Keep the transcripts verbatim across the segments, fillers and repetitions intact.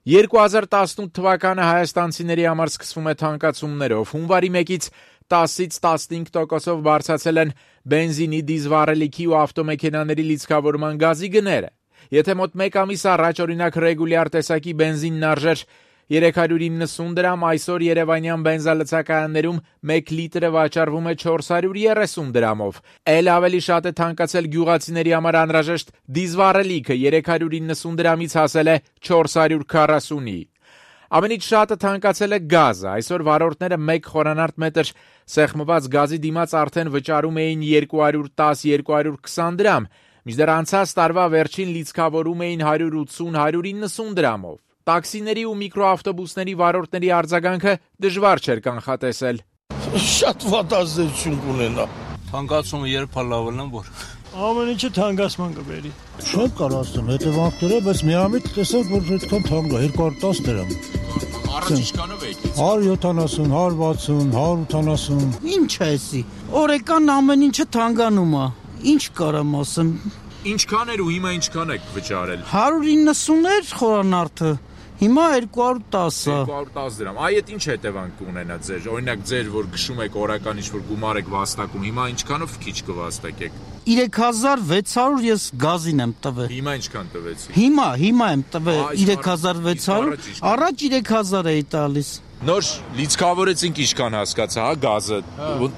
երկու հազար տասնութ թվականը հայաստանցիների համար սկսվում է թանկացումներով, հունվարի մեկից տասից տասնհինգ տոկոսով բարձրացել են բենզինի, դիզվառելիքի ու ավտոմեքենաների լիցքավորման գազի գները։ Եթե մոտ մեկ ամիս առաջ օրինակ ռեգուլյար տեսակի բենզինն արժեր երեք հարյուր իննսուն դրամ, այսօր երևանյան բենզալցակայաններում մեկ լիտրը վաճառվում է չորս հարյուր երեսուն դրամով։ Էլ ավելի շատ է թանկացել գյուղացիների համար անհրաժեշտ դիզվառելիքը, երեք հարյուր իննսուն դրամից հասել է չորս հարյուր քառասունի։ Ամենից շատը թանկացել է գազը, այսօր վարորդները մեկ խորանարդ մետր սեղմված գազի դիմաց արդեն վճարում էին երկու հարյուր տաս - երկու հարյուր քսան դրամ, մինչդեռ անցած տարվա վերջին լիցքավորում էին հարյուր ութսուն - հարյուր իննսուն դրամով։ Տաքսիների ու միկրոավտոբուսների վարորդների արձագանքը դժվար չէր կանխատեսել։ Շատ վատ ազդեցություն կունենա։ Թանկացումը երբ լավելն որ ամեն ինչը թանկացման կբերի։ Չեմ կարող ասեմ հետևանքները, բայց միամիտ տեսав, որ այդքան թանկ է, երկու հարյուր տաս դրամ։ Առաջ ինչքանով եկից։ հարյուր յոթանասուն, հարյուր վաթսուն, հարյուր ութանասուն։ Ինչ է էսի։ Օրեկան ամեն ինչը թանկանում է։ Ինչ կարամ ասեմ։ Ինչքան էր ու հիմա ինչքան եք վճարել։ հարյուր իննսուն էր խորանարդը։ Հիմա երկու հարյուր տաս է։ երկու հարյուր տաս դրամ։ Այ այդ ինչ հետևանք կունենա ձեր։ Օրինակ ձեր որ գշում եք օրական ինչ-որ գումար եք վաստակում, հիմա ինչքանով քիչ կվաստակեք։ երեք հազար վեց հարյուր ես գազին եմ տվել։ Հիմա ինչքան տվեցիք։ Հիմա, հիմա եմ տվել երեք հազար վեց հարյուր, առաջ երեք հազար էի տալիս։ Նոր լիցքավորեցինք ինչքան հասկացա, հա, գազը։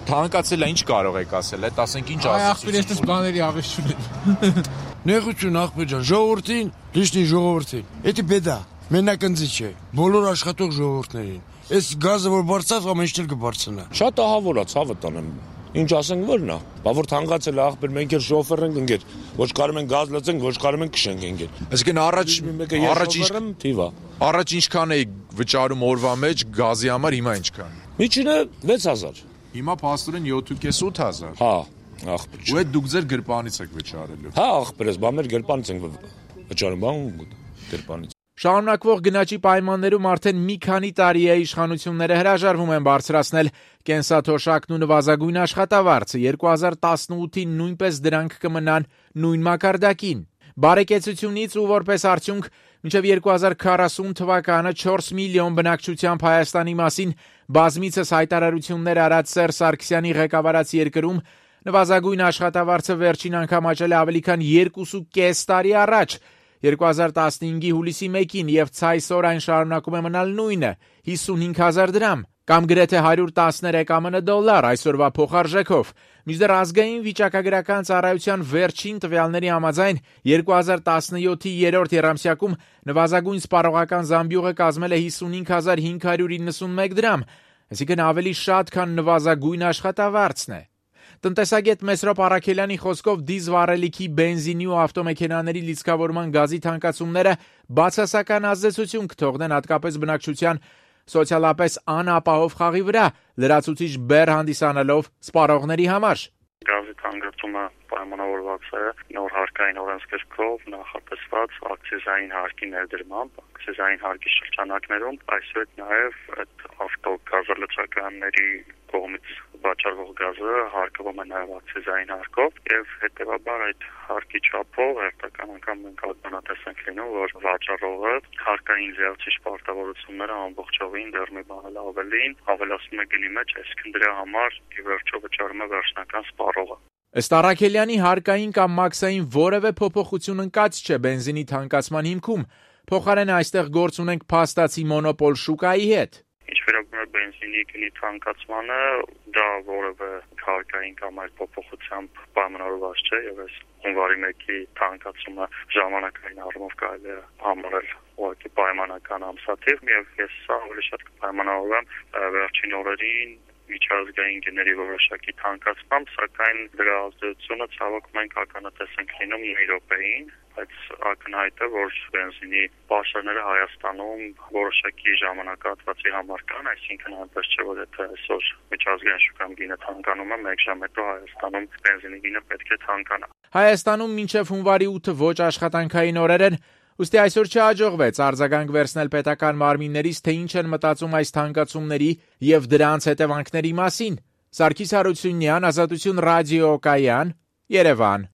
Թանկացել է, ինչ կարող եք ասել, այդ ասենք ինչ ասեցիք։ Այ ախպեր ես բաների ավեշ չունեմ։ Նեղություն ախպեր ջան, ժողովրդին, լիշնի ժողովրդին։ Էդի բեդա, մենակնձի չէ, բոլոր աշխատող ժողովուրդներին։ Այս գազը որ բարձավ, ամեն ինչ էլ կբարձրանա։ Շատ ահավոր է, ցավը տանեմ։ Ինչ ասենք որն է։ Բա որ թանկացել է ախպեր, մենք էլ շոֆեր ենք ընկեր։ Ոչ կարող են գազ լցենք, ոչ կարող են քշենք ընկեր։ Այսինքն առաջ առաջ ինչ թիվա։ Առաջ ինչքան էի վճարում օրվա մեջ գազի համար, հիմա ինչքան։ Միջինը վեց հազար։ Հիմա փաստորեն յոթ ութ հազար։ Հա, ախպեր։ Ու այդ դուք ձեր գրպանից եք վճարելու։ Հա, ախպեր ես, բա մեր գրպանից ենք վճարում, բա գրպանից։ Շարունակվող գնաճի պայմաններում արդեն մի քանի տարի է իշխանությունները հրաժարվում են բարձրացնել կենսաթոշակն ու նվազագույն աշխատավարձը, երկու հազար տասնութին նույնպես դրանք կմնան նույն մակարդակին։ Բարեկեցությունից ու որպես արդյունք մինչև երկու հազար քառասուն թվականը չորս միլիոն բնակչությամբ Հայաստանի մասին բազմիցս հայտարարություններ արած Սերժ Սարգսյանի ղեկավարած երկրում նվազագույն աշխատավարձը վերջին անգամ աճել է ավելի քան երկուսուկես տարի առաջ երկու հազար տասնհինգի հուլիսի մեկին եւ ցայսօր այն շարունակում է մնալ նույնը հիսունհինգ հազար դրամ կամ գրեթե հարյուր տասներեք ԱՄՆ դոլար այսօրվա փոխարժեքով մինչդեռ ազգային վիճակագրական ծառայության վերջին տվյալների համաձայն երկու հազար տասնյոթի երրորդ եռամսյակում նվազագույն սպառողական զամբյուղը կազմել է հիսունհինգ հազար հինգ հարյուր իննսունմեկ դրամ այսինքն ավելի շատ քան նվազագույն աշխատավարձն է Տնտեսագետ Մեսրոպ Առաքելյանի խոսքով դիզվառելիքի, բենզինի ու ավտոմեքենաների լիցքավորման գազի թանկացումները բացասական ազդեցություն կթողնեն հատկապես բնակչության սոցիալապես անապահով խաղի վրա, լրացուցիչ բեռ հանդիսանալով սպառողների համար։ Գազի թանկացումը պայմանավորված է նոր հարկային օրենսգրքով նախատեսված ակցիզային հարկի ներդրմամբ, ակցիզային հարկի շրջանակներում, այսօր նաև այդ ավտոգազալցականների կողմից վաճառվող գազը հարկվում է նաև ակցիզային հարկով եւ հետեւաբար այդ հարկի չափով հերթական անգամ մենք ականատես ենք լինում, որ վաճառողը հարկային լիացիչ պարտավորությունները ամբողջովին դեռ մի բան էլ ավելին ավելացնում է գնի մեջ, այսինքն դրա համար ի վերջո վճարում է վերջնական սպառողը։ Ըստ Առաքելյանի հարկային կամ մաքսային որևէ փոփոխություն ընկած չէ բենզինի թանկացման հիմքում, փոխարենը այստեղ գործ ունենք փաստացի մոնոպոլ շուկայի հետ։ Ինչ վերաբերում է բենզինի գնի թանկացմանը, դա որևէ հարկային կամ այլ փոփոխությամբ պայմանավորված չէ եւ այս հունվարի մեկի թանկացումը ժամանակային առումով կարելի է համարել ուղղակի պայմանական ամսաթիվ եւ ես սա ավելի շատ կպայմանավորեմ վերջին օրերին միջազգային գների որոշակի թանկացմամբ, սակայն դրա ազդեցությունը ցավոք մենք ականատես ենք լինում Եվրոպային, բայց ակնհայտ է, որ բենզինի պաշարները Հայաստանում որոշակի ժամանակահատվածի համար կան, այսինքն այնպես չէ, որ եթե այսօր միջազգային շուկայում գինը թանկանում է, մեկ ժամ հետո Հայաստանում բենզինի գինը պետք է թանկանա։ Հայաստանում մինչև հունվարի ութը ոչ աշխատանքային օրեր են, ուստի այսօր չհաջողվեց արձագանք վերցնել պետական մարմիններից, թե ինչ են մտածում այս թանկացումների եւ դրանց հետևանքների մասին։ Սարգիս Հարությունյան, Ազատություն ռադիոկայան, Երևան։